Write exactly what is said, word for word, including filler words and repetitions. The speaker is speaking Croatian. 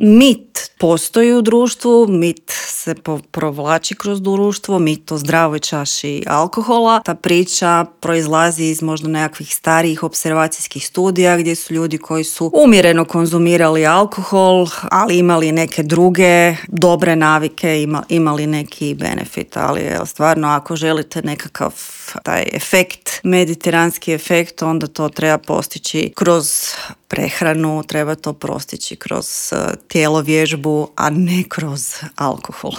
Mit postoji u društvu, mit se po- provlači kroz društvo, mit o zdravoj čaši alkohola. Ta priča proizlazi iz možda nekakvih starijih observacijskih studija gdje su ljudi koji su umjereno konzumirali alkohol, ali imali neke druge dobre navike, ima, imali neki benefit. Ali je stvarno, ako želite nekakav taj efekt, mediteranski efekt, onda to treba postići kroz prehranu, treba to postići kroz tijelo vježbu, a ne kroz alkohol.